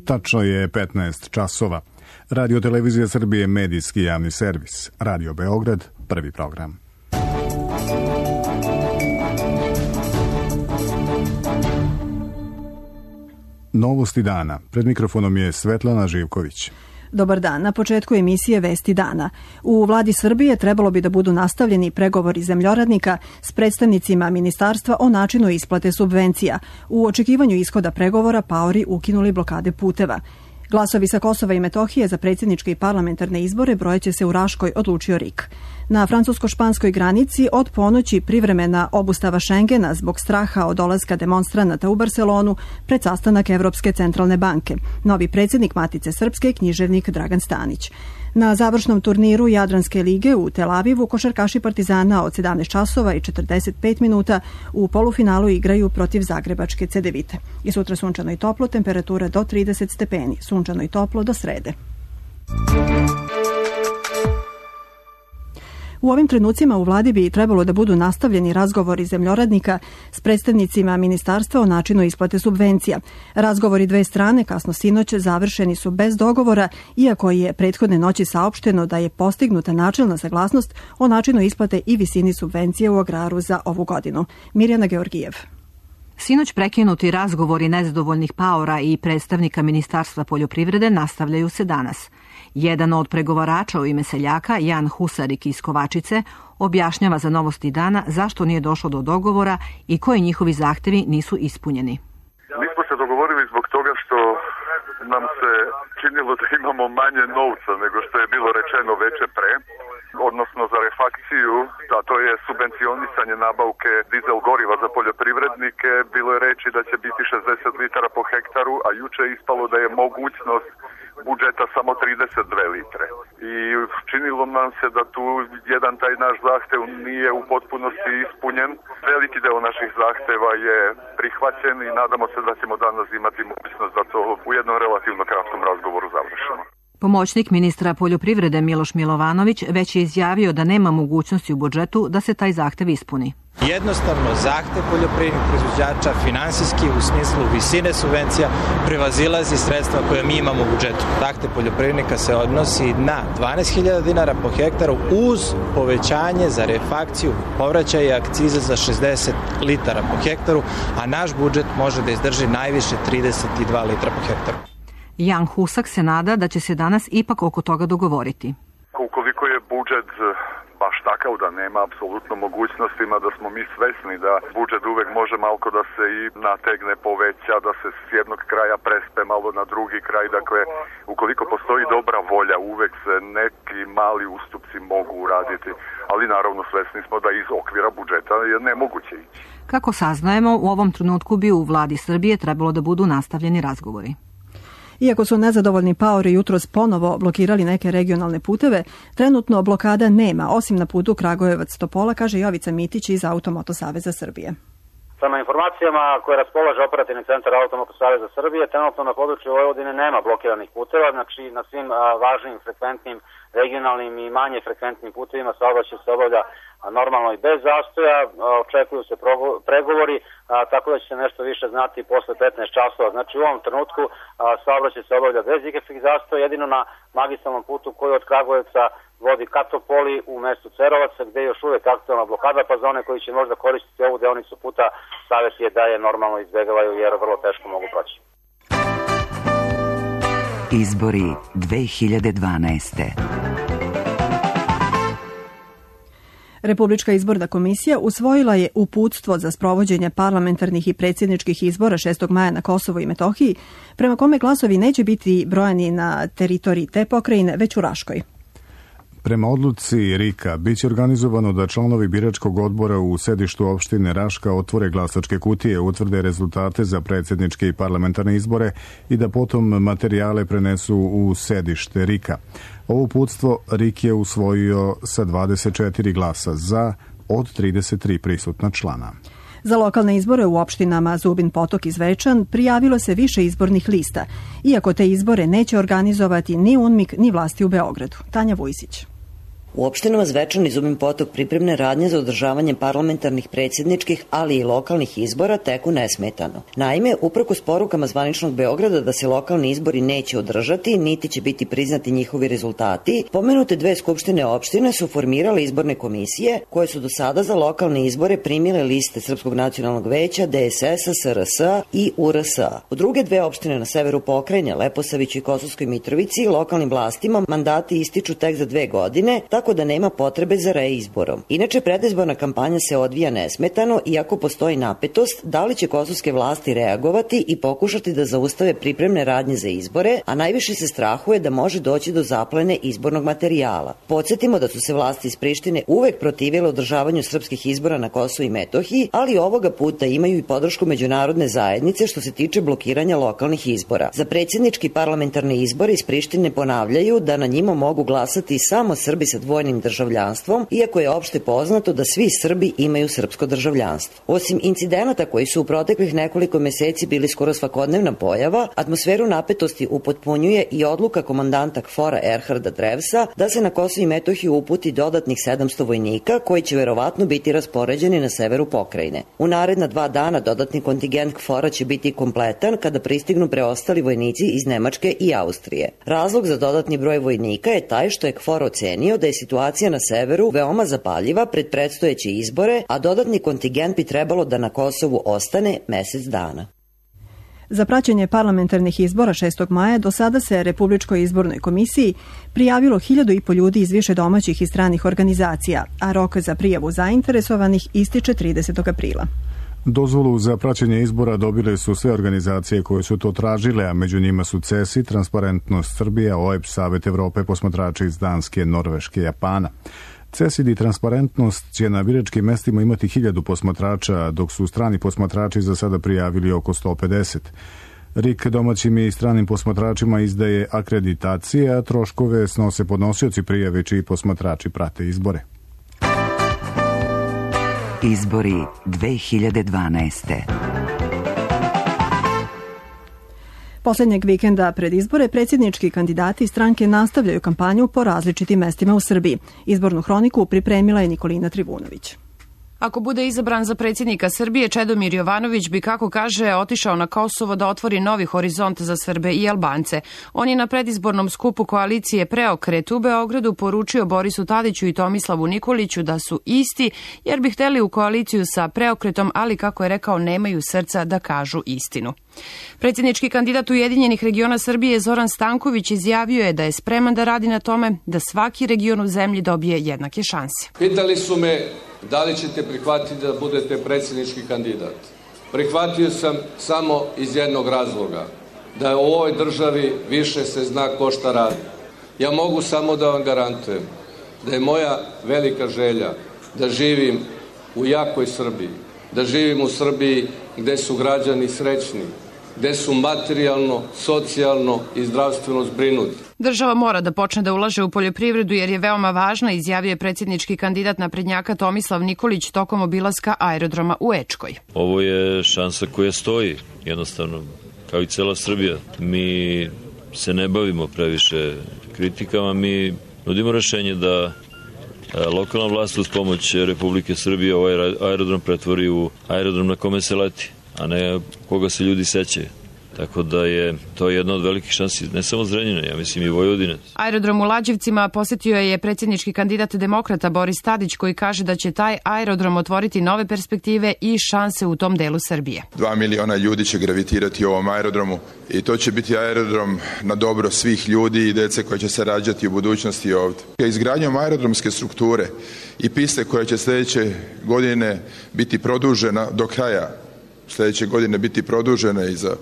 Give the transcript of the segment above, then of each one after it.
Tačno je 15 časova. Radio Televizija Srbije, medijski javni servis. Radio Beograd, prvi program. Novosti dana. Pred mikrofonom je Svetlana Živković. Dobar dan. Na početku emisije Vesti dana. U vladi Srbije trebalo bi da budu nastavljeni pregovori zemljoradnika s predstavnicima ministarstva o načinu isplate subvencija. U očekivanju ishoda pregovora paori ukinuli blokade puteva. Glasovi sa Kosova i Metohije za predsjedničke i parlamentarne izbore brojeće se u Raškoj, odlučio RIK. Na francusko-španskoj granici od ponoći privremena obustava Šengena zbog straha od dolaska demonstranata u Barcelonu pred sastanak Evropske centralne banke. Novi predsjednik Matice Srpske, književnik Dragan Stanić. Na završnom turniru Jadranske lige u Tel Avivu košarkaši Partizana od 17 časova i 45 minuta u polufinalu igraju protiv zagrebačke Cedevite. I sutra sunčano i toplo, temperatura do 30 stepeni. Sunčano i toplo do srede. U ovim trenucima u vladi bi trebalo da budu nastavljeni razgovori zemljoradnika s predstavnicima ministarstva o načinu isplate subvencija. Razgovori dve strane kasno sinoć završeni su bez dogovora, iako je prethodne noći saopšteno da je postignuta načelna saglasnost o načinu isplate i visini subvencije u agraru za ovu godinu. Mirjana Georgijev. Sinoć prekinuti razgovori nezadovoljnih paora i predstavnika Ministarstva poljoprivrede nastavljaju se danas. Jedan od pregovarača u ime seljaka, Jan Husarik iz Kovačice, objašnjava za Novosti dana zašto nije došlo do dogovora i koji njihovi zahtevi nisu ispunjeni. Mi smo se dogovorili zbog toga što nam se činilo da imamo manje novca nego što je bilo rečeno veče pre, odnosno za refakciju, a to je subvencionisanje nabavke dizel goriva za poljoprivrednike. Bilo je reči da će biti 60 litara po hektaru, a juče je ispalo da je mogućnost budžeta samo 32 litre. I činilo nam se da tu jedan taj naš zahtev nije u potpunosti ispunjen. Veliki deo naših zahteva je prihvaćen i nadamo se da ćemo danas imati mogućnost da to u jednom relativno kratkom razgovoru završimo. Pomoćnik ministra poljoprivrede Miloš Milovanović već je izjavio da nema mogućnosti u budžetu da se taj zahtev ispuni. Jednostavno, zahtev poljoprivrednih proizvođača finansijski u smislu visine subvencija prevazilazi sredstva koje mi imamo u budžetu. Zahtev poljoprivrednika se odnosi na 12.000 dinara po hektaru uz povećanje za refakciju povraćaja akcize za 60 litara po hektaru, a naš budžet može da izdrži najviše 32 litra po hektaru. Jan Husak se nada da će se danas ipak oko toga dogovoriti. Ukoliko je budžet baš takav da nema apsolutno mogućnostima, da smo mi svesni da budžet uvek može malko da se i nategne, poveća, da se s jednog kraja prespe malo na drugi kraj. Dakle, ukoliko postoji dobra volja, uvek se neki mali ustupci mogu uraditi, ali naravno svesni smo da iz okvira budžeta je nemoguće ići. Kako saznajemo, u ovom trenutku bi u vladi Srbije trebalo da budu nastavljeni razgovori. Iako su nezadovoljni paori jutros ponovo blokirali neke regionalne puteve, trenutno blokada nema, osim na putu Kragujevac-Topola, kaže Jovica Mitić iz Automoto Saveza Srbije. Prema informacijama koje raspolaže operativni centar Automoto Saveza Srbije, trenutno na području Vojvodine nema blokiranih puteva, znači na svim važnim, frekventnim, regionalnim i manje frekventnim putevima saobraćaj se obavlja normalno i bez zastoja, očekuju se pregovori, tako da će se nešto više znati posle 15 časova. Znači u ovom trenutku saobraćaj se obavlja bez ikakvih zastoja, jedino na magistralnom putu koji od Kragujevca vodi ka Topoli u mestu Cerovaca, gde je još uvek aktualna blokada, pa za one koji će možda koristiti ovu deonicu puta, savjet je da je normalno izbegavaju jer vrlo teško mogu proći. Izbori 2012. Republička izborna komisija usvojila je uputstvo za sprovođenje parlamentarnih i predsjedničkih izbora 6. maja na Kosovu i Metohiji, prema kome glasovi neće biti brojani na teritoriji te pokrajine, već u Raškoj. Prema odluci RIK-a biće organizovano da članovi biračkog odbora u sedištu opštine Raška otvore glasačke kutije, utvrde rezultate za predsjedničke i parlamentarne izbore i da potom materijale prenesu u sedište RIK-a. Ovo uputstvo RIK je usvojio sa 24 glasa za od 33 prisutna člana. Za lokalne izbore u opštinama Zubin Potok i Zvečan prijavilo se više izbornih lista, iako te izbore neće organizovati ni UNMIK ni vlasti u Beogradu. Tanja Vujsić. U opštinama Zvečan i Zubin Potok pripremne radnje za održavanje parlamentarnih, predsjedničkih, ali i lokalnih izbora teku nesmetano. Naime, uprkos porukama zvaničnog Beograda da se lokalni izbori neće održati, niti će biti priznati njihovi rezultati, pomenute dve skupštine opštine su formirale izborne komisije koje su do sada za lokalne izbore primile liste Srpskog nacionalnog veća, DSS, SRS i URS. U druge dve opštine na severu pokrajine, Leposaviću i Kosovskoj Mitrovici, lokalnim vlastima mandati ističu tek za 2 godine, tako da nema potrebe za reizborom. Inače, predizborna kampanja se odvija nesmetano, iako postoji napetost da li će kosovske vlasti reagovati i pokušati da zaustave pripremne radnje za izbore, a najviše se strahuje da može doći do zaplene izbornog materijala. Podsjetimo da su se vlasti iz Prištine uvek protivile održavanju srpskih izbora na Kosovu i Metohiji, ali ovoga puta imaju i podršku međunarodne zajednice što se tiče blokiranja lokalnih izbora. Za predsjednički parlamentarne izbore iz Prištine ponavljaju da na njima mogu glasati samo Srbi sa dvojnim državljanstvom, iako je opšte poznato da svi Srbi imaju srpsko državljanstvo. Osim incidenata koji su u proteklih nekoliko meseci bili skoro svakodnevna pojava, atmosferu napetosti upotpunjuje i odluka komandanta KFOR-a Erharda Drevsa da se na Kosovo i Metohiju uputi dodatnih 700 vojnika koji će verovatno biti raspoređeni na severu pokrajine. U naredna 2 dana dodatni kontingent KFOR-a će biti kompletan kada pristignu preostali vojnici iz Nemačke i Austrije. Razlog za dodatni broj vojnika je taj što je KFOR ocenio da je situacija na severu veoma zapaljiva pred predstojeće izbore, a dodatni kontingent bi trebalo da na Kosovu ostane mesec dana. Za praćenje parlamentarnih izbora 6. maja do sada se Republičkoj izbornoj komisiji prijavilo 1.500 ljudi iz više domaćih i stranih organizacija, a rok za prijavu zainteresovanih ističe 30. aprila. Dozvolu za praćenje izbora dobile su sve organizacije koje su to tražile, a među njima su CESI, Transparentnost Srbija, OEBS, Savet Evrope, posmatrači iz Danske, Norveške, Japana. CESID i Transparentnost će na biračkim mestima imati 1000 posmatrača, dok su strani posmatrači za sada prijavili oko 150. RIK domaćim i stranim posmatračima izdaje akreditacije, a troškove snose podnosioci prijave čiji posmatrači prate izbore. Izbori 2012. Poslednjeg vikenda pred izbore predsjednički kandidati i stranke nastavljaju kampanju po različitim mestima u Srbiji. Izbornu hroniku pripremila je Nikolina Trivunović. Ako bude izabran za predsjednika Srbije, Čedomir Jovanović bi, kako kaže, otišao na Kosovo da otvori novi horizont za Srbe i Albance. On je na predizbornom skupu koalicije Preokret u Beogradu poručio Borisu Tadiću i Tomislavu Nikoliću da su isti, jer bi hteli u koaliciju sa Preokretom, ali, kako je rekao, nemaju srca da kažu istinu. Predsjednički kandidat Ujedinjenih regiona Srbije Zoran Stanković izjavio je da je spreman da radi na tome da svaki region u zemlji dobije jednake šanse. Pitali su me da li ćete prihvatiti da budete predsjednički kandidat. Prihvatio sam samo iz jednog razloga, da u ovoj državi više se zna ko šta radi. Ja mogu samo da vam garantujem da je moja velika želja da živim u jakoj Srbiji, da živim u Srbiji gde su građani srećni, gde su materijalno, socijalno i zdravstveno zbrinuti. Država mora da počne da ulaže u poljoprivredu jer je veoma važna, izjavio je predsjednički kandidat naprednjaka Tomislav Nikolić tokom obilaska aerodroma u Ečkoj. Ovo je šansa koja stoji, jednostavno, kao i cela Srbija. Mi se ne bavimo previše kritikama, mi nudimo rešenje da lokalna vlast uz pomoć Republike Srbije ovaj aerodrom pretvori u aerodrom na kome se leti, a ne koga se ljudi sećaju. Tako da je to jedna od velikih šansi, ne samo Zrenjanina, ja mislim i Vojvodine. Aerodrom u Lađevcima posjetio je predsjednički kandidat demokrata Boris Tadić, koji kaže da će taj aerodrom otvoriti nove perspektive i šanse u tom delu Srbije. 2 miliona ljudi će gravitirati u ovom aerodromu i to će biti aerodrom na dobro svih ljudi i dece koje će se rađati u budućnosti ovdje. Izgradnjom aerodromske strukture i piste koja će sljedeće godine biti produžena do kraja, sljedeće godine biti produžena i za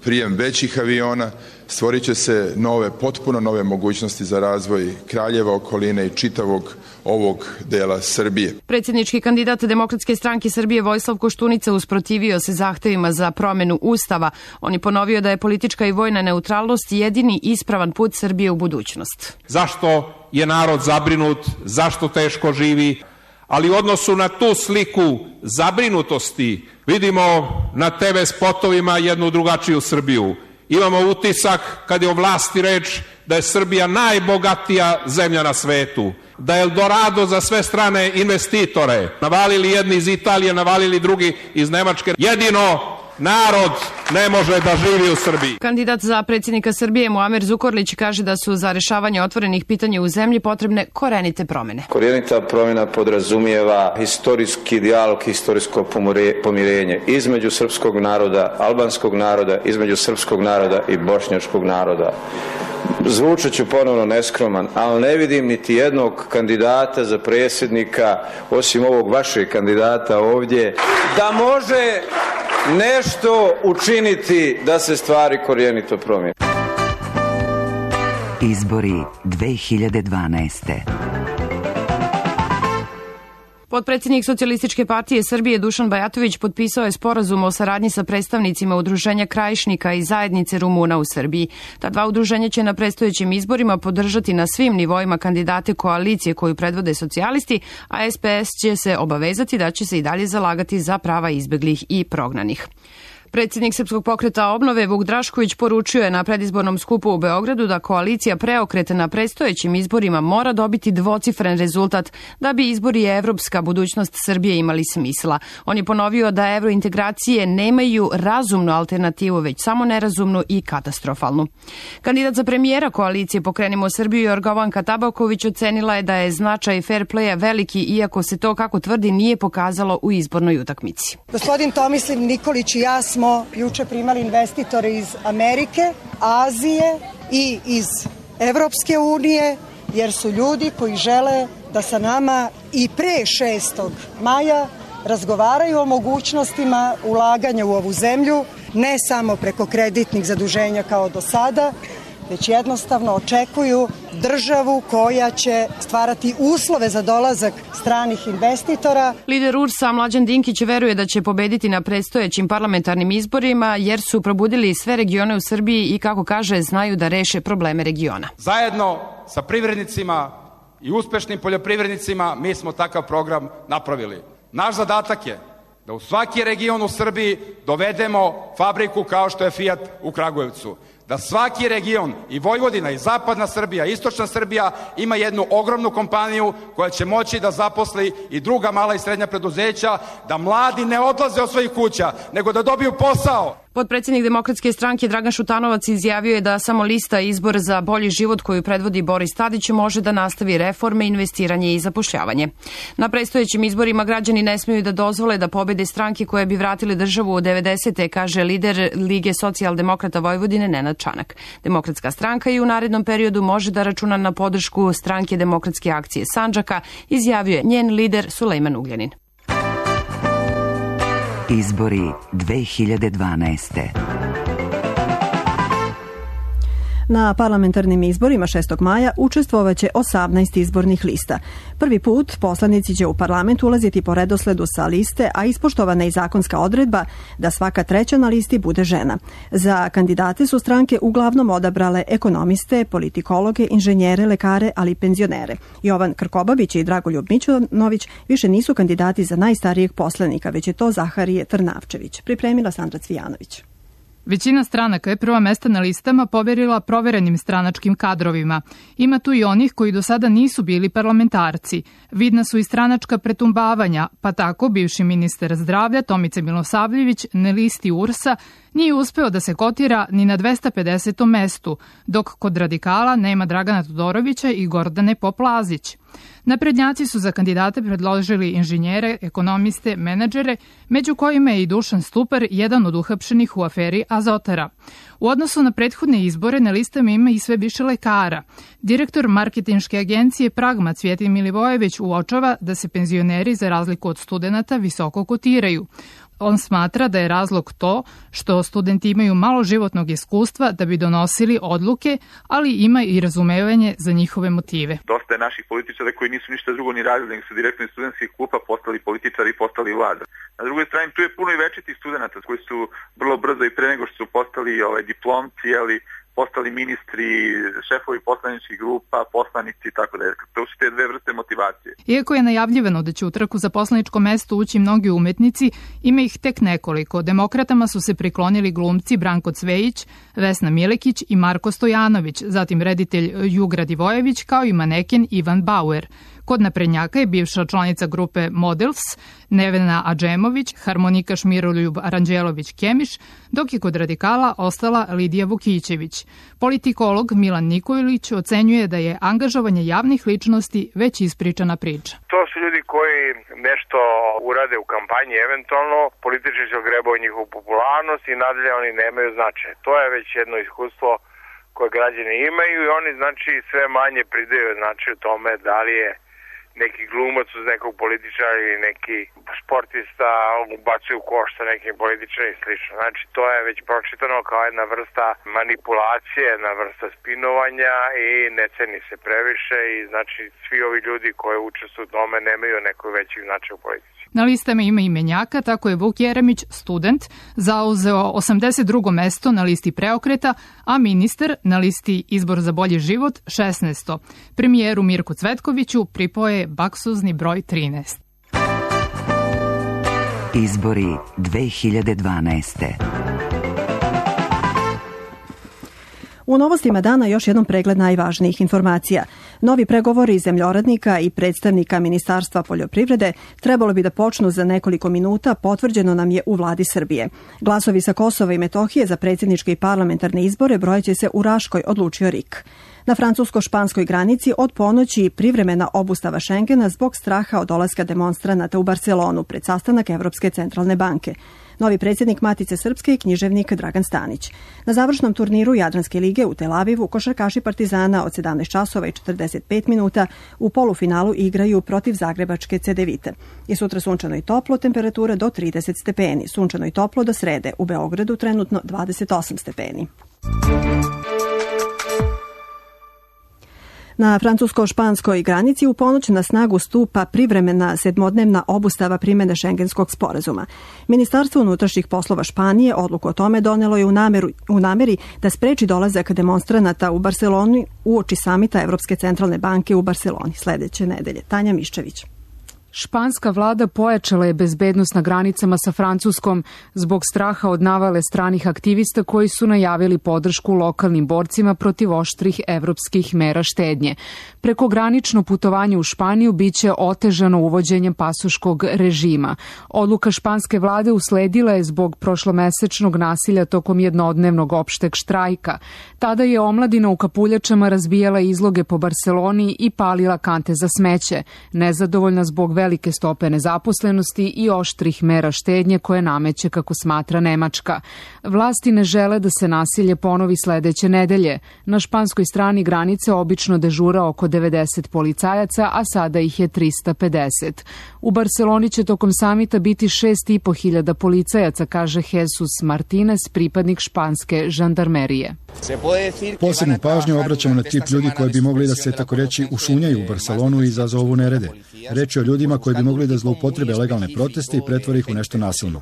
prijem većih aviona, stvorit će se potpuno nove mogućnosti za razvoj Kraljeva, okoline i čitavog ovog dela Srbije. Predsjednički kandidat Demokratske stranke Srbije Vojislav Koštunica usprotivio se zahtevima za promenu Ustava. On je ponovio da je politička i vojna neutralnost jedini ispravan put Srbije u budućnost. Zašto je narod zabrinut, zašto teško živi, ali u odnosu na tu sliku zabrinutosti vidimo na TV spotovima jednu drugačiju Srbiju. Imamo utisak, kad je o vlasti reč, da je Srbija najbogatija zemlja na svetu. da je Eldorado za sve strane investitore. Navalili jedni iz Italije, navalili drugi iz Nemačke. Jedino narod ne može da živi u Srbiji. Kandidat za predsjednika Srbije Muamer Zukorlić kaže da su za rešavanje otvorenih pitanja u zemlji potrebne korenite promjene. Korenita promjena podrazumijeva historijski dijalog, historijsko pomirenje između srpskog naroda, albanskog naroda, između srpskog naroda i bošnjačkog naroda. Zvučat ću ponovno neskroman, ali ne vidim niti jednog kandidata za predsjednika, osim ovog vašeg kandidata ovdje, da može nešto učiniti da se stvari korijenito promijene. Izbori 2012. Potpredsjednik Socijalističke partije Srbije Dušan Bajatović potpisao je sporazum o saradnji sa predstavnicima Udruženja Krajišnika i Zajednice Rumuna u Srbiji. Ta dva udruženja će na predstojećim izborima podržati na svim nivoima kandidate koalicije koju predvode socijalisti, a SPS će se obavezati da će se i dalje zalagati za prava izbeglih i prognanih. Predsjednik Srpskog pokreta obnove Vuk Drašković poručio je na predizbornom skupu u Beogradu da koalicija Preokret na predstojećim izborima mora dobiti dvocifren rezultat da bi izbori i evropska budućnost Srbije imali smisla. On je ponovio da evrointegracije nemaju razumnu alternativu, već samo nerazumnu i katastrofalnu. Kandidat za premijera koalicije Pokrenimo Srbiju Jorgovanka Tabaković ocenila je da je značaj fair playa veliki, iako se to, kako tvrdi, nije pokazalo u izbornoj utakmici. Gospodin Tomislav Nikolić i ja smo juče primali investitore iz Amerike, Azije i iz Evropske unije, jer su ljudi koji žele da sa nama i pre 6. maja razgovaraju o mogućnostima ulaganja u ovu zemlju, ne samo preko kreditnih zaduženja kao do sada, već jednostavno očekuju državu koja će stvarati uslove za dolazak stranih investitora. Lider URS-a Mlađan Dinkić veruje da će pobediti na predstojećim parlamentarnim izborima jer su probudili sve regione u Srbiji i, kako kaže, znaju da reše probleme regiona. Zajedno sa privrednicima i uspešnim poljoprivrednicima mi smo takav program napravili. Naš zadatak je da u svaki region u Srbiji dovedemo fabriku kao što je Fiat u Kragujevcu. Da svaki region, i Vojvodina, i zapadna Srbija, i istočna Srbija, ima jednu ogromnu kompaniju koja će moći da zaposli i druga mala i srednja preduzeća, da mladi ne odlaze od svojih kuća, nego da dobiju posao. Potpredsjednik Demokratske stranke Dragan Šutanovac izjavio je da samo lista Izbor za bolji život koju predvodi Boris Tadić može da nastavi reforme, investiranje i zapošljavanje. Na predstojećim izborima građani ne smiju da dozvole da pobede stranke koje bi vratile državu u 90. kaže lider Lige socijaldemokrata Vojvodine Nenad Čanak. Demokratska stranka i u narednom periodu može da računa na podršku Stranke demokratske akcije Sandžaka, izjavio je njen lider Sulejman Ugljanin. Izbori 2012. Na parlamentarnim izborima 6. maja učestvovaće 18 izbornih lista. Prvi put poslanici će u parlament ulaziti po redosledu sa liste, a ispoštovana je zakonska odredba da svaka treća na listi bude žena. Za kandidate su stranke uglavnom odabrale ekonomiste, politikologe, inženjere, lekare, ali i penzionere. Jovan Krkobabić i Dragoljub Mićunović više nisu kandidati za najstarijeg poslanika, već je to Zaharije Trnavčević. Pripremila Sandra Cvijanović. Većina stranaka je prva mesta na listama poverila proverenim stranačkim kadrovima. Ima tu i onih koji do sada nisu bili parlamentarci. Vidna su i stranačka pretumbavanja, pa tako bivši ministar zdravlja Tomica Milosavljević na listi URS-a nije uspeo da se kotira ni na 250. mestu, dok kod radikala nema Dragana Todorovića i Gordane Poplazić. Naprednjaci su za kandidate predložili inženjere, ekonomiste, menadžere, među kojima je i Dušan Stupar, jedan od uhapšenih u aferi Azotara. U odnosu na prethodne izbore na listama ima i sve više lekara. Direktor marketinške agencije Pragma Cvjetin Milivojević uočava da se penzioneri, za razliku od studenata, visoko kotiraju. On smatra da je razlog to što studenti imaju malo životnog iskustva da bi donosili odluke, ali ima i razumevanje za njihove motive. Dosta je naših političara koji nisu ništa drugo ni radili, nego su direktno iz studentskih klupa postali političari i postali vlada. Na drugoj strani tu je puno i večitih studenata koji su vrlo brzo i pre nego što su postali diplomci, postali ministri, šefovi poslaničkih grupa, poslanici i tako dalje. To su te dve vrste motivacije. Iako je najavljivano da će u trku za poslaničko mesto ući mnogi umetnici, ima ih tek nekoliko. Demokratama su se priklonili glumci Branko Cvejić, Vesna Milekić i Marko Stojanović, zatim reditelj Jugra Divojević, kao i maneken Ivan Bauer. Kod naprednjaka je bivša članica grupe Models Nevena Adžemović, harmonikaš Miroljub Aranđelović-Kemiš, dok je kod radikala ostala Lidija Vukićević. Politikolog Milan Nikolić ocenjuje da je angažovanje javnih ličnosti već ispričana priča. To su ljudi koji nešto urade u kampanji, eventualno politički se ogrebaju njihovu popularnost i nadalje oni nemaju značaja. To je već jedno iskustvo koje građani imaju i oni znači sve manje pridaju značaj u tome da li je neki glumac uz nekog političara ili neki sportista ubacuju u koš sa nekim političarom i slično. Znači to je već pročitano kao jedna vrsta manipulacije, jedna vrsta spinovanja i ne ceni se previše i znači svi ovi ljudi koji učestvuju u tome nemaju neko veći značaj u politici. Na listama ima imenjaka, tako je Vuk Jeremić, student, zauzeo 82. mesto na listi Preokreta, a ministar na listi Izbor za bolji život 16. Premijeru Mirku Cvetkoviću pripoje baksuzni broj 13. Izbori 2012. U novostima dana još jednom pregled najvažnijih informacija. Novi pregovori zemljoradnika i predstavnika Ministarstva poljoprivrede trebalo bi da počnu za nekoliko minuta, potvrđeno nam je u vladi Srbije. Glasovi sa Kosova i Metohije za predsjedničke i parlamentarne izbore brojeće se u Raškoj, odlučio RIK. Na francusko-španskoj granici od ponoći privremena obustava Šengena zbog straha od dolaska demonstranata u Barcelonu pred sastanak Evropske centralne banke. Novi predsjednik Matice Srpske i književnik Dragan Stanić. Na završnom turniru Jadranske lige u Tel Avivu košarkaši Partizana od 17 časova i 45 minuta u polufinalu igraju protiv zagrebačke Cedevite. I sutra sunčano i toplo, temperatura do 30 stepeni. Sunčano i toplo do srede. U Beogradu trenutno 28 stepeni. Na francusko-španskoj granici u ponoć na snagu stupa privremena sedmodnevna obustava primjene Šengenskog sporazuma. Ministarstvo unutrašnjih poslova Španije odluku o tome donelo je u nameri da spreči dolazak demonstranata u Barceloni uoči samita Evropske centralne banke u Barceloni sledeće nedelje. Tanja Miščević. Španska vlada pojačala je bezbednost na granicama sa Francuskom zbog straha od navale stranih aktivista koji su najavili podršku lokalnim borcima protiv oštrih evropskih mera štednje. Prekogranično putovanje u Španiju biće otežano uvođenjem pasoškog režima. Odluka španske vlade usledila je zbog prošlomesečnog nasilja tokom jednodnevnog opšteg štrajka. Tada je omladina u kapuljačama razbijala izloge po Barceloni i palila kante za smeće, nezadovoljna zbog velike stope nezaposlenosti i oštrih mera štednje koje nameće, kako smatra Nemačka. Vlasti ne žele da se nasilje ponovi sledeće nedelje. Na španskoj strani granice obično dežura oko 90 policajaca, a sada ih je 350. U Barceloni će tokom samita biti 6.500 policajaca, kaže Jesus Martinez, pripadnik španske žandarmerije. Posebnu pažnju obraćamo na tip ljudi koji bi mogli da se, tako reći, ušunjaju u Barcelonu i izazovu nerede. Reč je o ljudima koji bi mogli da zloupotrebe legalne proteste i pretvore ih u nešto nasilno.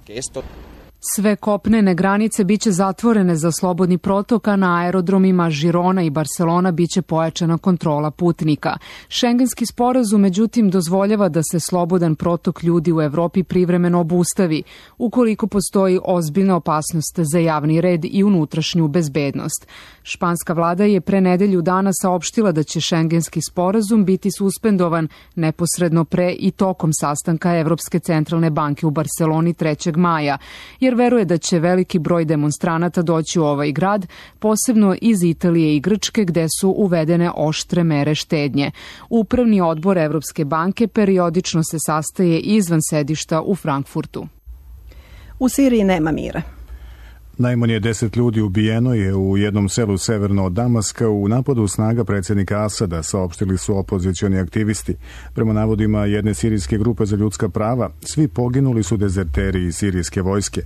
Sve kopnene granice biće zatvorene za slobodni protok, a na aerodromima Žirona i Barcelona biće pojačana kontrola putnika. Šengenski sporazum, međutim, dozvoljava da se slobodan protok ljudi u Evropi privremeno obustavi, ukoliko postoji ozbiljna opasnost za javni red i unutrašnju bezbednost. Španska vlada je pre nedelju dana saopštila da će šengenski sporazum biti suspendovan neposredno pre i tokom sastanka Evropske centralne banke u Barceloni 3. maja, jer veruje da će veliki broj demonstranata doći u ovaj grad, posebno iz Italije i Grčke, gde su uvedene oštre mere štednje. Upravni odbor Evropske banke periodično se sastaje izvan sedišta u Frankfurtu. U Siriji nema mira. Najmanje 10 ljudi ubijeno je u jednom selu severno od Damaska u napadu snaga predsjednika Asada, saopštili su opozicioni aktivisti. Prema navodima jedne sirijske grupe za ljudska prava, svi poginuli su dezerteri iz sirijske vojske.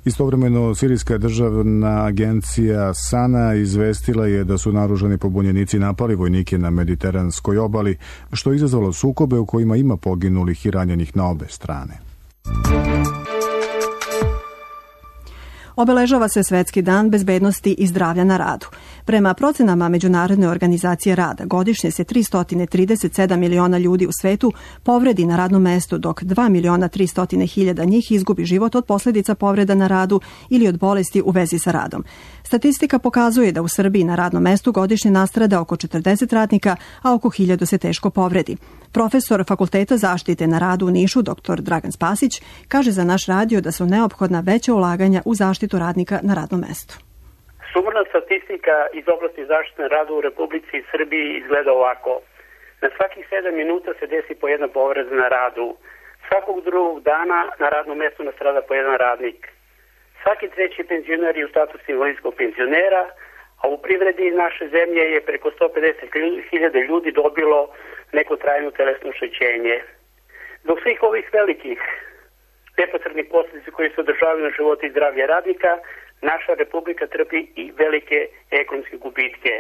Istovremeno, sirijska državna agencija Sana izvestila je da su naoružani pobunjenici napali vojnike na mediteranskoj obali, što je izazvalo sukobe u kojima ima poginulih i ranjenih na obe strane. Obeležava se Svetski dan bezbednosti i zdravlja na radu. Prema procenama Međunarodne organizacije rada, godišnje se 337 miliona ljudi u svetu povredi na radnom mestu, dok 2.300.000 njih izgubi život od posljedica povreda na radu ili od bolesti u vezi sa radom. Statistika pokazuje da u Srbiji na radnom mestu godišnje nastrada oko 40 radnika, a oko 1000 se teško povredi. Profesor Fakulteta zaštite na radu u Nišu, dr. Dragan Spasić, kaže za naš radio da su neophodna veća ulaganja u zaštitu radnika na radnom mestu. Sumorna statistika iz oblasti zaštite na radu u Republici Srbiji izgleda ovako. Na svakih 7 minuta se desi po jedna povreda na radu. Svakog drugog dana na radnom mestu nastrada po jedan radnik. Svaki treći penzioner je u statusu invalidskog penzionera, a u privredi naše zemlje je preko 150.000 ljudi dobilo neko trajno telesno oštećenje. Zbog svih ovih velikih neposrednih posljedica koji se održavaju na život i zdravlje radnika, naša republika trpi i velike ekonomske gubitke.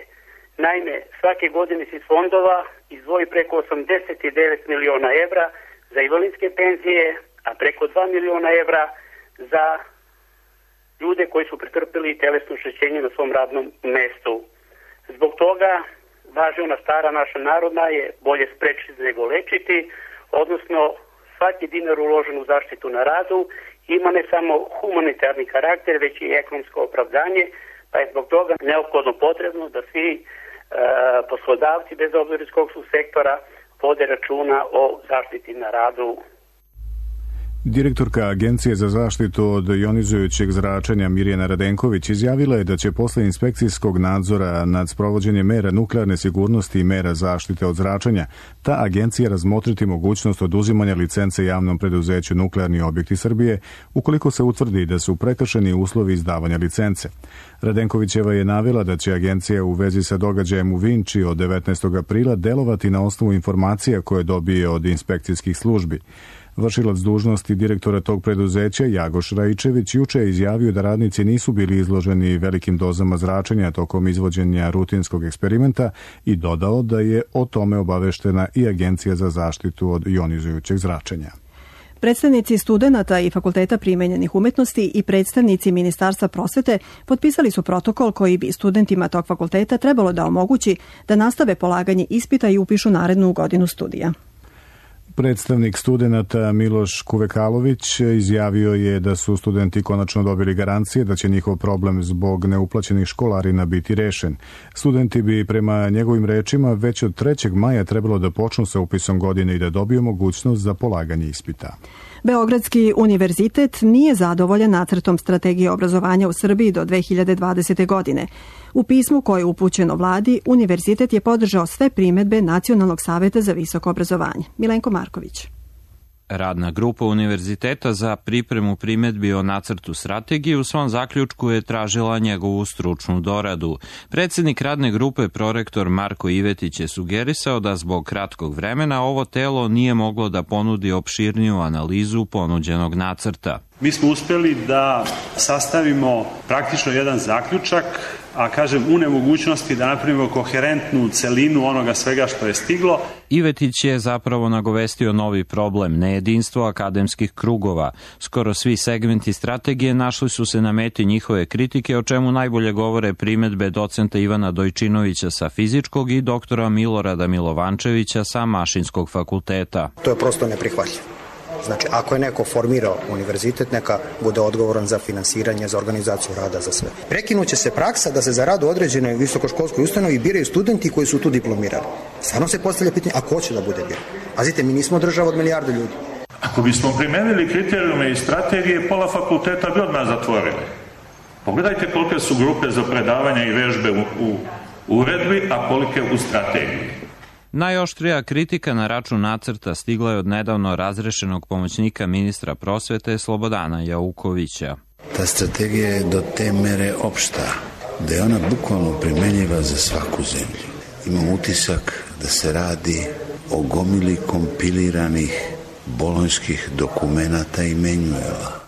Naime, svake godine se iz fondova izdvoji preko 89 miliona evra za invalidske penzije, a preko 2 miliona evra za ljude koji su pretrpili telesno oštećenje na svom radnom mestu. Zbog toga važi ona stara naša narodna je bolje sprečiti nego lečiti, odnosno svaki dinar uložen u zaštitu na radu ima ne samo humanitarni karakter, već i ekonomsko opravdanje, pa je zbog toga neophodno potrebno da svi poslodavci, bez obzira iz kog su sektora, vode računa o zaštiti na radu. Direktorka Agencije za zaštitu od jonizujućeg zračenja Mirjana Radenković izjavila je da će posle inspekcijskog nadzora nad sprovođenjem mera nuklearne sigurnosti i mera zaštite od zračenja ta agencija razmotriti mogućnost oduzimanja licence javnom preduzeću Nuklearni objekti Srbije ukoliko se utvrdi da su prekršeni uslovi izdavanja licence. Radenkovićeva je navela da će agencija u vezi sa događajem u Vinči od 19. aprila delovati na osnovu informacija koje dobije od inspekcijskih službi. Vršilac dužnosti direktora tog preduzeća Jagoš Raičević juče je izjavio da radnici nisu bili izloženi velikim dozama zračenja tokom izvođenja rutinskog eksperimenta i dodao da je o tome obaveštena i Agencija za zaštitu od jonizujućeg zračenja. Predstavnici studenata i Fakulteta primenjenih umetnosti i predstavnici Ministarstva prosvete potpisali su protokol koji bi studentima tog fakulteta trebalo da omogući da nastave polaganje ispita i upišu narednu godinu studija. Predstavnik studenata Miloš Kuvekalović izjavio je da su studenti konačno dobili garancije da će njihov problem zbog neuplaćenih školarina biti rešen. Studenti bi prema njegovim rečima već od 3. maja trebalo da počnu sa upisom godine i da dobiju mogućnost za polaganje ispita. Beogradski univerzitet nije zadovoljan nacrtom strategije obrazovanja u Srbiji do 2020. godine. U pismu koje je upućeno vladi, univerzitet je podržao sve primedbe Nacionalnog saveta za visoko obrazovanje. Milenko Marković. Radna grupa univerziteta za pripremu primedbi o nacrtu strategije u svom zaključku je tražila njegovu stručnu doradu. Predsjednik radne grupe, prorektor Marko Ivetić, je sugerisao da zbog kratkog vremena ovo telo nije moglo da ponudi opširniju analizu ponuđenog nacrta. Mi smo uspjeli da sastavimo praktično jedan zaključak, a kažem u nemogućnosti da napravimo koherentnu celinu onoga svega što je stiglo. Ivetić je zapravo nagovestio novi problem, nejedinstvo akademskih krugova. Skoro svi segmenti strategije našli su se na meti njihove kritike, o čemu najbolje govore primedbe docenta Ivana Dojčinovića sa fizičkog i doktora Milorada Milovančevića sa Mašinskog fakulteta. To je prosto neprihvatljivo. Znači, ako je neko formirao univerzitet, neka bude odgovoran za finansiranje, za organizaciju rada, za sve. Prekinuće se praksa da se za rad u određenoj visokoškolskoj ustanovi biraju studenti koji su tu diplomirali. Stvarno se postavlja pitanje, a ko će da bude biran? Pazite, mi nismo država od milijarde ljudi. Ako bismo primenili kriterijume i strategije, pola fakulteta bi odmah zatvorili. Pogledajte kolike su grupe za predavanje i vežbe u uredbi, a kolike u strategiji. Najoštrija kritika na račun nacrta stigla je od nedavno razrešenog pomoćnika ministra prosvete Slobodana Jaukovića. Ta strategija je do te mere opšta, da je ona bukvalno primenjiva za svaku zemlju. Imam utisak da se radi o gomili kompiliranih bolonjskih dokumenata i menjuela.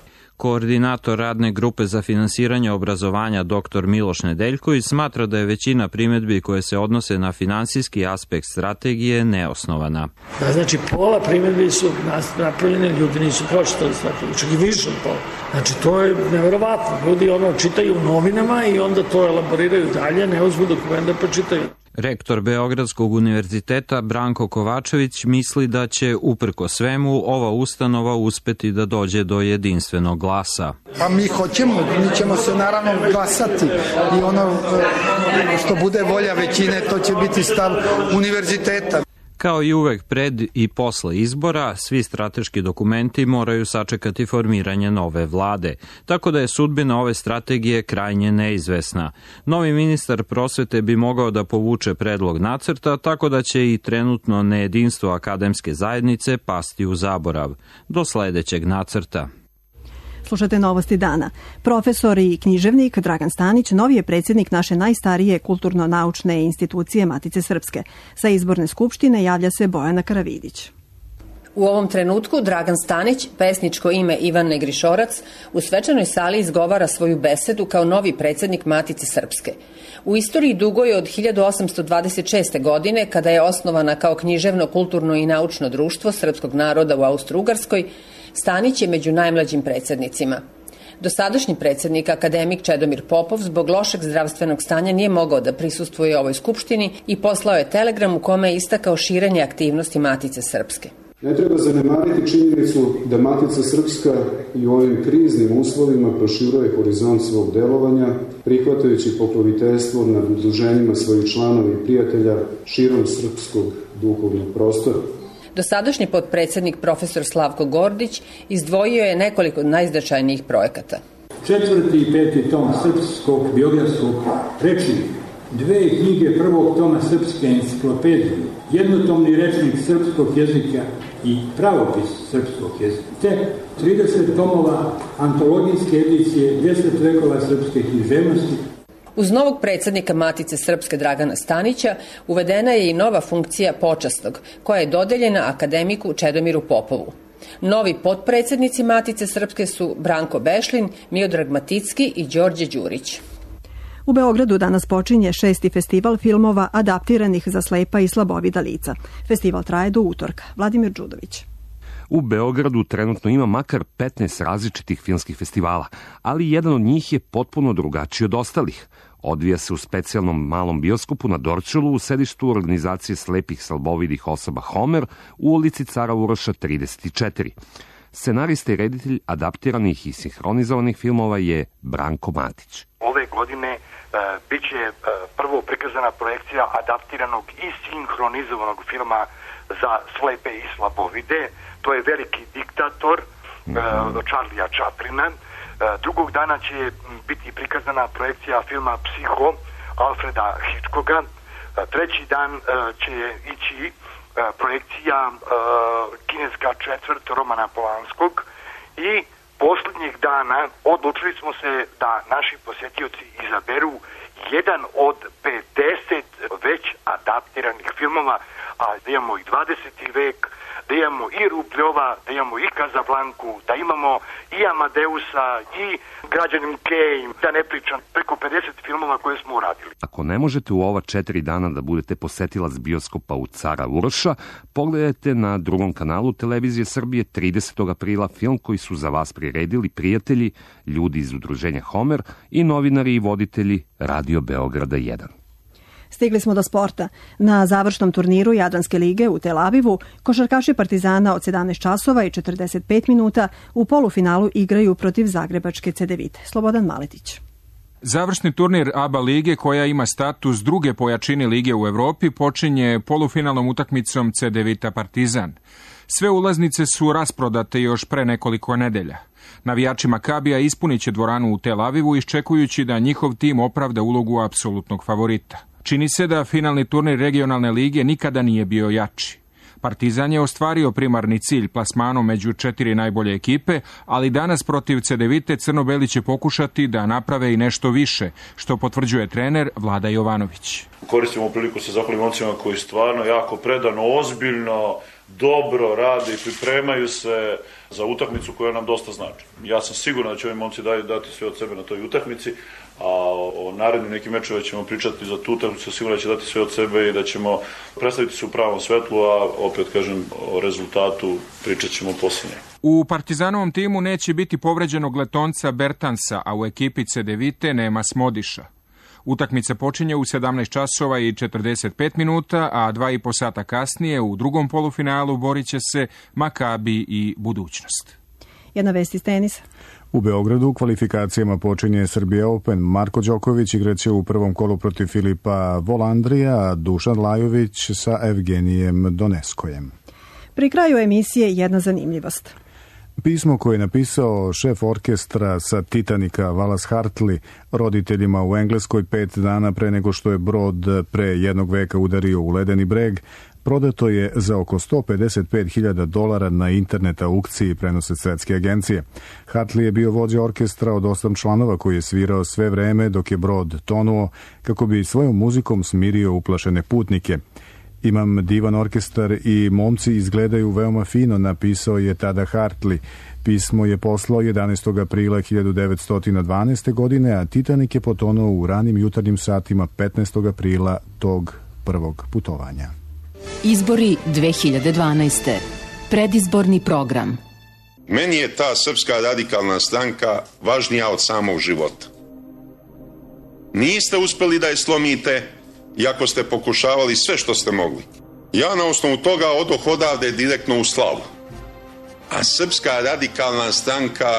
Koordinator radne grupe za finansiranje obrazovanja dr. Miloš Nedeljković smatra da je većina primedbi koje se odnose na finansijski aspekt strategije neosnovana. Znači, pola primedbi su napravljene, ljudi nisu pročitali strategiju, čak i više od pola. Znači, to je neverovatno. Ljudi čitaju u novinama i onda to elaboriraju dalje, ne uzmu dokumente pa čitaju. Rektor Beogradskog univerziteta Branko Kovačević misli da će, uprko svemu, ova ustanova uspeti da dođe do jedinstvenog glasa. Pa mi ćemo se naravno glasati i ono što bude volja većine, to će biti stav univerziteta. Kao i uvek pred i posle izbora, svi strateški dokumenti moraju sačekati formiranje nove vlade, tako da je sudbina ove strategije krajnje neizvesna. Novi ministar prosvete bi mogao da povuče predlog nacrta, tako da će i trenutno nejedinstvo akademske zajednice pasti u zaborav. Do sledećeg nacrta. Slušate Novosti dana. Profesor i književnik Dragan Stanić novi je predsjednik naše najstarije kulturno-naučne institucije Matice Srpske. Sa izborne skupštine javlja se Bojana Karavidić. U ovom trenutku Dragan Stanić, pesničko ime Ivan Negrišorac, u svečanoj sali izgovara svoju besedu kao novi predsjednik Matice Srpske. U istoriji dugoj od 1826. godine, kada je osnovana kao književno, kulturno i naučno društvo srpskog naroda u Austro-Ugarskoj, Stanić je među najmlađim predsjednicima. Dosadašnji predsjednik, akademik Čedomir Popov, zbog lošeg zdravstvenog stanja nije mogao da prisustvuje ovoj skupštini i poslao je telegram u kome je istakao širenje aktivnosti Matice Srpske. Ne treba zanemariti činjenicu da Matica Srpska i u ovim kriznim uslovima proširuje horizont svog delovanja, prihvatajući pokroviteljstvo nad udruženjima svojih članova i prijatelja širom srpskog duhovnog prostora. Dosadašnji potpredsjednik profesor Slavko Gordić izdvojio je nekoliko najznačajnijih projekata. 4. i 5. tom srpskog biografskog rečnika, 2 knjige prvog toma srpske enciklopedije, jednotomni rečnik srpskog jezika i pravopis srpskog jezika, te 30 tomova antologijske edicije 10 vekova srpske književnosti. Uz novog predsjednika Matice Srpske Dragana Stanića uvedena je i nova funkcija počasnog, koja je dodeljena akademiku Čedomiru Popovu. Novi potpredsjednici Matice Srpske su Branko Bešlin, Miodrag Maticki i Đorđe Đurić. U Beogradu danas počinje 6. festival filmova adaptiranih za slepa i slabovida lica. Festival traje do utorka. Vladimir Đudović. U Beogradu trenutno ima makar 15 različitih filmskih festivala, ali jedan od njih je potpuno drugačiji od ostalih. Odvija se u specijalnom malom bioskopu na Dorćolu u sedištu organizacije slepih slabovidih osoba Homer u ulici Cara Uroša 34. Scenarista i reditelj adaptiranih i sinhronizovanih filmova je Branko Matić. Ove godine biće prvo prikazana projekcija adaptiranog i sinhronizovanog filma za slepe i slabovide. To je Veliki diktator Charlija Chaplina. Drugog dana će biti prikazana projekcija filma Psiho Alfreda Hitchcocka. Treći dan će ići projekcija Kineska četvrt Romana Polanskog i posljednjih dana odlučili smo se da naši posjetioci izaberu jedan od 50 već adaptiranih filmova, a da imamo i 20. vek, da imamo i Rubljova, da imamo i Kazablanku, da imamo i Amadeusa, i Građanin Kane, da ne pričam, preko 50 filmova koje smo uradili. Ako ne možete u ova 4 dana da budete posetilac bioskopa u Cara Uroša, pogledajte na drugom kanalu Televizije Srbije 30. aprila film koji su za vas priredili prijatelji, ljudi iz udruženja Homer i novinari i voditelji Radio Beograda 1. Stigli smo do sporta. Na završnom turniru Jadranske lige u Tel Avivu košarkaši Partizana od 17 časova i 45 minuta u polufinalu igraju protiv zagrebačke Cedevite. Slobodan Maletić. Završni turnir ABA lige, koja ima status druge po jačini lige u Evropi, počinje polufinalnom utakmicom Cedevita Partizan. Sve ulaznice su rasprodate još pre nekoliko nedelja. Navijači Makabija ispunit će dvoranu u Tel Avivu iščekujući da njihov tim opravda ulogu apsolutnog favorita. Čini se da finalni turnir regionalne lige nikada nije bio jači. Partizan je ostvario primarni cilj plasmanom među 4 najbolje ekipe, ali danas protiv Cedevite crno-beli će pokušati da naprave i nešto više, što potvrđuje trener Vlada Jovanović. Koristimo priliku sa zahvalim momcima koji stvarno jako predano, ozbiljno, dobro rade i pripremaju se za utakmicu koja nam dosta znači. Ja sam siguran da će ovi momci dati sve od sebe na toj utakmici, a o narednim nekim mečeva ćemo pričati za tu utakmicu, sigurno da će dati sve od sebe i da ćemo predstaviti se u pravom svetlu, a opet kažem o rezultatu pričat ćemo posljednje. U Partizanovom timu neće biti povređenog letonca Bertansa, a u ekipi Cedevite nema Smodiša. Utakmica počinje u 17 časova i 45 minuta, a 2,5 sata kasnije u drugom polufinalu borit će se Makabi i Budućnost. Jedna vest iz tenisa. U Beogradu u kvalifikacijama počinje Serbia Open. Marko Đoković igraće u prvom kolu protiv Filipa Volandrija, a Dušan Lajović sa Evgenijem Doneskojem. Pri kraju emisije jedna zanimljivost. Pismo koje je napisao šef orkestra sa Titanika Wallace Hartley roditeljima u Engleskoj 5 dana pre nego što je brod pre jednog veka udario u ledeni breg, prodato je za oko $155.000 na internet aukciji, prenose svetske agencije. Hartley je bio vođa orkestra od 8 članova koji je svirao sve vreme dok je brod tonuo kako bi svojom muzikom smirio uplašene putnike. Imam divan orkestar i momci izgledaju veoma fino, napisao je tada Hartley. Pismo je poslao 11. aprila 1912. godine, a Titanik je potonuo u ranim jutarnjim satima 15. aprila tog prvog putovanja. Izbori 2012. Predizborni program. Meni je ta Srpska radikalna stranka važnija od samog života. Niste uspeli da je slomite, iako ste pokušavali sve što ste mogli. Ja na osnovu toga odoh odavde direktno u slavu. A Srpska radikalna stranka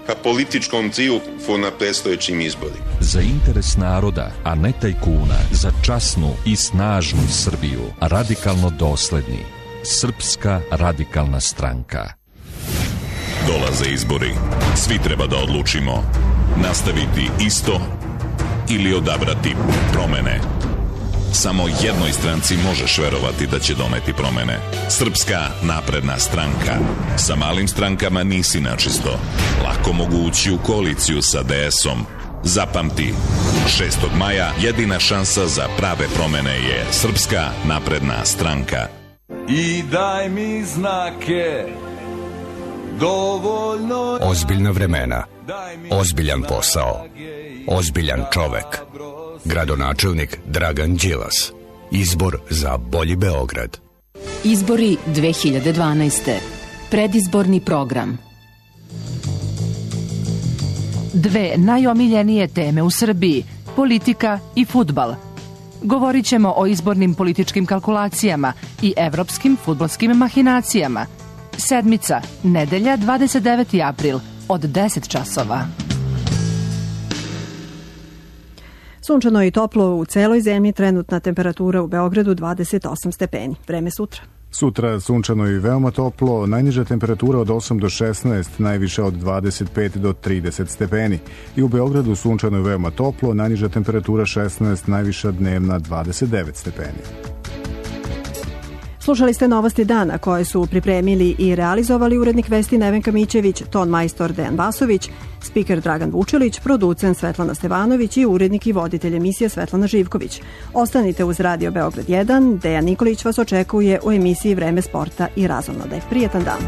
ka političkom triumfu na predstojećim izborima. Za interes naroda, a ne tajkuna, za časnu i snažnu Srbiju, radikalno dosledni. Srpska radikalna stranka. Dolaze izbori. Svi treba da odlučimo. Nastaviti isto ili odabrati promene. Samo jednoj stranci možeš verovati da će doneti promene. Srpska napredna stranka. Sa malim strankama nisi načisto. Lako mogu ući u koaliciju sa DS-om. Zapamti, 6. maja jedina šansa za prave promene je Srpska napredna stranka. I daj mi znake dovoljno. Ozbiljna vremena, ozbiljan posao, ozbiljan čovek. Gradonačelnik Dragan Đilas. Izbor za bolji Beograd. Izbori 2012. Predizborni program. Dve najomiljenije teme u Srbiji, politika i fudbal. Govorit ćemo o izbornim političkim kalkulacijama i evropskim fudbalskim mahinacijama. Sedmica, nedelja, 29. april, od 10 časova. Sunčano i toplo u celoj zemlji, trenutna temperatura u Beogradu 28 stepeni. Vreme sutra. Sutra sunčano i veoma toplo, najniža temperatura od 8 do 16, najviša od 25 do 30 stepeni. I u Beogradu sunčano i veoma toplo, najniža temperatura 16, najviša dnevna 29 stepeni. Slušali ste novosti dana koje su pripremili i realizovali urednik vesti Nevenka Mićević, ton majstor Dejan Vasović, spiker Dragan Vučilić, producent Svetlana Stevanović i urednik i voditelj emisije Svetlana Živković. Ostanite uz Radio Beograd 1, Dejan Nikolić vas očekuje u emisiji Vreme sporta i razonode. Prijetan dan.